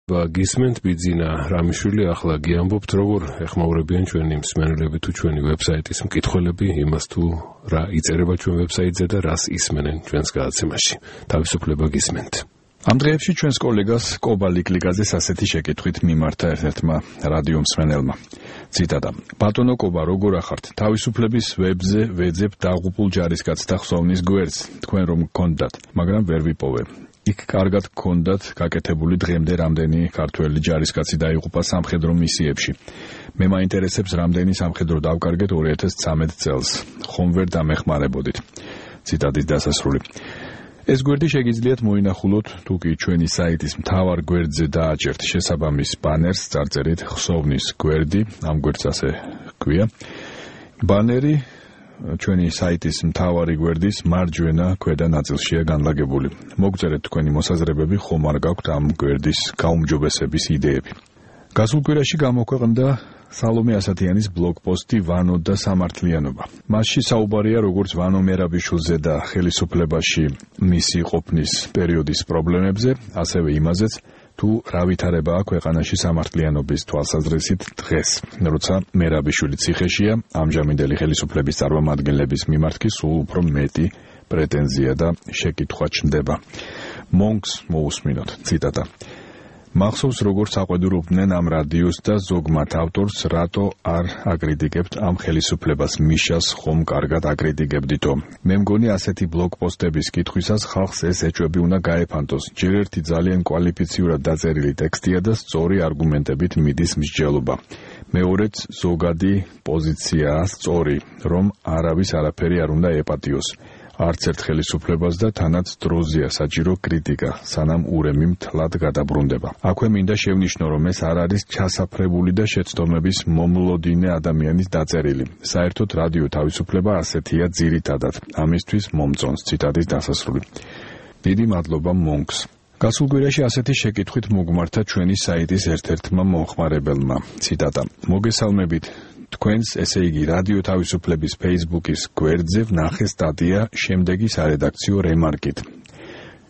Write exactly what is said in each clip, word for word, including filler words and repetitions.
გისმენთ ბიძინა რამიშვილი, ახლა გიამბობთ როგორ ეხმაურებიან ჩვენი მსმენელები თუ ჩვენი ვებსაიტის მკითხველები იმას თუ რა იწერება ჩვენ ვებსაიტზე და რას ისმენენ ჩვენს გადაცემაში. თავისუფლება გისმენთ. ამ დღეებში ჩვენს კოლეგას კობა ლიკლიკაძეს ასეთი შეკითხვით მიმართა ერთ-ერთმა რადიო მსმენელმა. ციტატა: ბატონო კობა, როგორ ახართ? თავისუფლების ვებზე ვეძებ დაღუპულ ჯარისკაცთა ხსოვნის გვერდს, თქვენ რომ გქონდათ, მაგრამ ვერ ვიპოვე. იქ კარგად გქონდათ გაკეთებული დღემდე რამდენი ქართველი ჯარისკაცი დაიღუპა სამხედრო მისიებში. მე მაინტერესებს რამდენი სამხედრო დავკარგეთ ორი ათას ცხრამეტ წელს. ხომ ვერ დამეხმარებოდით. ციტატის დასასრული. ეს გვერდი შეგიძლიათ მოინახულოთ თუ კი ჩვენი საიტის მთავარ გვერდზე დააჭერთ შესაბამის ბანერს, წარწერით ხსოვნის გვერდი, ამ გვერდს ასე ჰქვია. ბანერი ჩვენი საიტის მთავარი გვერდის მარჯვენა ქვედა ნაწილშია განლაგებული. მოგწერეთ თქვენი მოსაზრებები, ხომ არ გაქვთ ამ გვერდის გაუმჯობესების იდეები. გასულ კვირაში გამოქვეყნდა სალომე ასათიანის ბლოგპოსტი „ვანო და სამართლიანობა“. მასში საუბარია როგორც ვანო მერაბიშვილზე და ხელისუფლებაში მისი ყოფნის პერიოდის პრობლემებზე, ასევე იმაზეც, თუ რა ვითარებაა ქვეყანაში სამართლიანობის თვალსაზრისით დღეს, როცა მერაბიშვილი ციხეშია, ამჟამინდელი ხელისუფლების წარმომადგენლების მიმართ კი სულ უფრო მეტი პრეტენზია და შეკითხვა ჩნდება. მონკს მოусმინოთ. ციტატა: მახსოვს როგორც აყვედურობდნენ ამ რადიოს და ზოგ მათ ავტორს, რატო არ აკრიტიკებთ ამ ხელისუფლებას, მიშას ხომ კარგად აკრიტიკებდითო. მე მგონი ასეთი ბლოგპოსტების კითხვისას ხალხს ეს ეჭვები უნდა გაეფანტოს. ჯერ ერთი ძალიან კვალიფიციურად დაწერილი ტექსტია და სწორი არგუმენტებით მიდის მსჯელობა. მეორეც ზოგადი პოზიციაა სწორი, რომ არავის არაფერი არ უნდა ეპატიოს. არც ერთ ხელისუფლებას და თანაც დროზია საჭირო კრიტიკა, სანამ ურემი მთლად გადაბრუნდება. აქვე მინდა შევნიშნო, რომ ეს არ არის ჩასაფრებული და შეცდომების მომლოდინე ადამიანის დაწერილი. საერთოდ რადიო თავისუფლება ასეთია ძირითადად. ამისთვის მომწონს. ციტატის დასასრული. დიდი მადლობა მონკს. გასულ კვირაში ასეთი შეკითხვით მოგმართა ჩვენი საიტის ერთ-ერთმა მომხმარებელმა. ციტატა: მოგესალმებით. თქვენს, ესე იგი, რადიო თავისუფლების Facebook-ის გვერდზე ვნახე სტატია შემდეგი სარედაქციო რემარკით.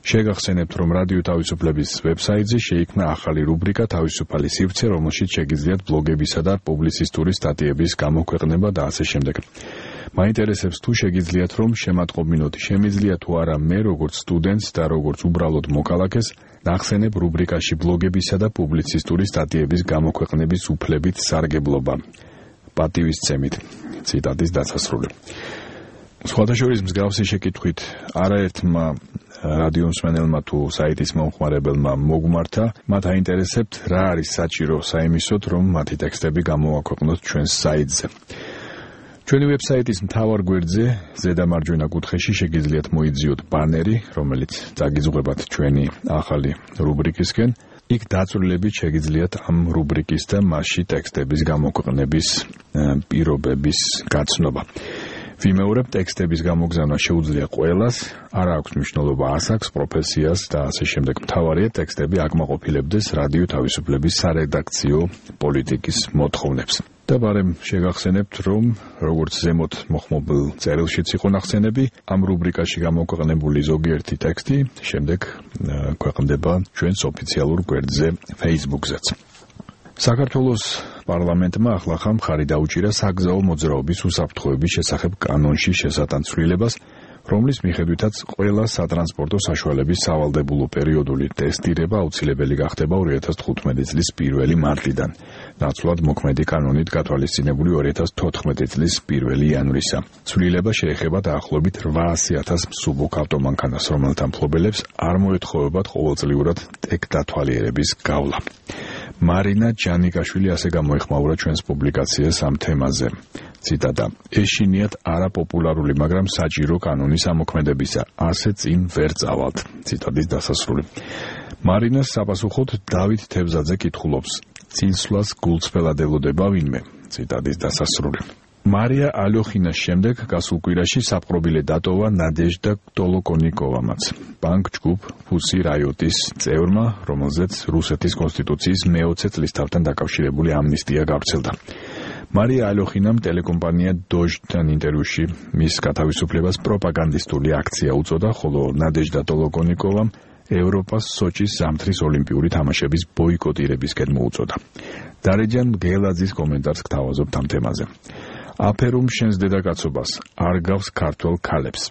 შეგახსენებთ, რომ რადიო თავისუფლების ვებსაიტზე შეიქმნა ახალი რუბრიკა „თავისუფალი სივრცე“, რომელშიც შეგიძლიათ ბლოგებისა და პუბლიცისტური სტატიების გამოქვეყნება და ასე შემდეგ. მაინტერესებს თუ შეგიძლიათ რომ შემატყობინოთ, შემიძლია თუ არა მე როგორც სტუდენტს და როგორც უბრალოდ მოქალაქეს ნახსენებ რუბრიკაში ბლოგებისა და პუბლიცისტური სტატიების გამოქვეყნების უფლებით სარგებლობა. პატივისცემით. ციტატის დასასრული. სხვადასხვა მსგავსი შეკითხვით არაერთმა რადიო მსმენელმა თუ საიტის მომხმარებელმა მოგმართა, მათ აინტერესებთ რა არის საჭირო საიმისოდ, რომ მათი ტექსტები გამოვაქვეყნოთ ჩვენს საიტზე. ჩვენი ვებსაიტის მთავარ გვერდზე ზედა მარჯვენა კუთხეში შეგიძლიათ მოიძიოთ ბანერი, რომელიც წაგიძღვებათ ჩვენი ახალი რუბრიკისკენ. იქ დაწვრილებით შეგიძლიათ ამ რუბრიკის და მასში ტექსტების გამოქვეყნების პირობების გაცნობა. ვიმეორებ, ტექსტების გამოგზავნა შეუძლია ყველას, არ აქვს მნიშვნელობა ასაკს, პროფესიას და ასე შემდეგ. მთავარია ტექსტები აკმაყოფილებდეს რადიო თავისუფლების სარედაქციო პოლიტიკის მოთხოვნებს. და ბარემ შეგახსენებთ, რომ როგორც ზემოთ მოხმობილ წერილშიც იყო ნახსენები, ამ რუბრიკაში გამოქვეყნებული ზოგიერთი ტექსტი შემდეგ ქვეყნდება ჩვენს ოფიციალურ გვერდზე Facebook-ზეც. საქართველოს პარლამენტმა ახლახან მხარი დაუჭირა საგზაო მოძრაობის უსაფრთხოების შესახებ კანონში შესატანცვლილებას, რომლის მიხედვითაც ყველა სატრანსპორტო საშუალების სავალდებულო პერიოდული ტესტირება აუცილებელი გახდება ორი ათას თხუთმეტი წლის პირველი მარტიდან, ნაცვლად მოქმედი კანონით გათვალისწინებული ორი ათას თოთხმეტი წლის პირველი იანვრისა. ცვლილება შეეხება დაახლოებით რვაასი ათას მსუბუქ ავტომანქანას, რომელთა მფლობელებს არ მოეთხოვებათ ყოველწლიურად ტეკ დათვალიერების გავლა. მარინა ჯანიკაშვილი ასე გამოეხმაურა ჩვენს პუბლიკაციას ამ თემაზე. ციტატა: ეშინიათ არაპოპულარული, მაგრამ საჭირო კანონის ამოქმედებისა. ასე წინ ვერ წავალთ. ციტატის დასასრული. მარინას საპასუხოდ დავით თევზაძე კითხულობს: წინსვლას გულწრფელად ელოდება ვინმე? ციტატის დასასრული. მარია ალოხინას შემდეგ გასულ კვირაში საპყრობილე დატოვა ნადეჟდა ტოლოკონიკოვამაც, ბანკ ჯგუფ ფუსი რაიოტის წევრმა, რომელზეც რუსეთის კონსტიტუციის მეოცე წლისთავთან დაკავშირებული ამნისტია გავრცელდა. მარია ალოხინამ ტელეკომპანია დოჟთან ინტერვიუში მის გათავისუფლებას პროპაგანდისტული აქცია უწოდა, ხოლო ნადეჟდა ტოლოკონიკოვამ ევროპას სოჭის ზამთრის ოლიმპიური თამაშების ბოიკოტირებისკენ მოუწოდა. დარეჯან მგელაძის კომენტარს გთავაზობთ ამ თემაზე. აფერუმ შენს დედაკაცობას, არ გავს ქართველ ქალებს.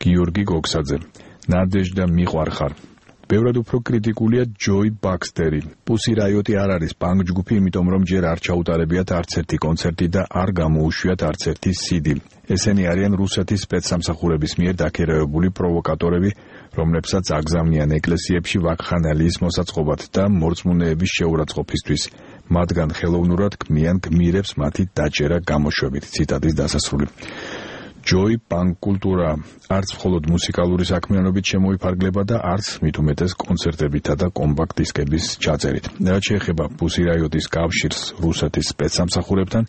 გიორგი გოგსაძე, ნადეჟდა მიყვარხარ. ბევრად უფრო კრიტიკულია ჯოი ბაქსტერი. პუსი რაიოტი არ არის პანკ ჯგუფი, იმიტომ რომ ჯერ არ ჩაუტარებიათ არც ერთი კონცერტი და არ გამოუშვიათ არც ერთი სიდი. ესენი არიან რუსეთის სპეცსამსახურების მიერ დაქირავებული პროვოკატორები, რომლებსაც აგზავნიან ეკლესიებში ვაკხანალიის მოსაწყობად და მორწმუნეების შეურაცხყოფისთვის. მათგან ხელოვნურად ქმნიან გმირებს მათი დაჭერა გამოშვებით. ციტატის დასასრული. ჯოი პანკ კულტურა არც მხოლოდ მუსიკალური საქმიანობით შემოიფარგლება და არც მით უმეტეს კონცერტებითა და კომპაქტ დისკების ჩაწერით. რაც შეეხება პუსი რაიოტის კავშირს რუსეთის სპეცსამსახურებთან,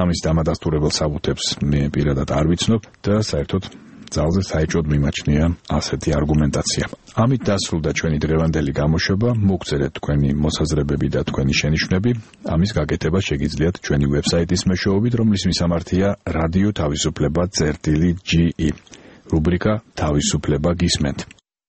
ამის დამადასტურებელ საბუთებს მე პირადად არ ვიცნობ და საერთოდ ძალზე საეჭვოდ მიმაჩნია ასეთი არგუმენტაცია. ამით დასრულდა ჩვენი დღევანდელი გამოშვება. მოგწერეთ თქვენი მოსაზრებები და თქვენი შენიშვნები. ამის გაკეთება შეგიძლიათ ჩვენი ვებსაიტის მეშვეობით, რომლის მისამართია რადიო თავისუფლება წერტილი ჯი ი. რუბრიკა თავისუფლება გისმენთ.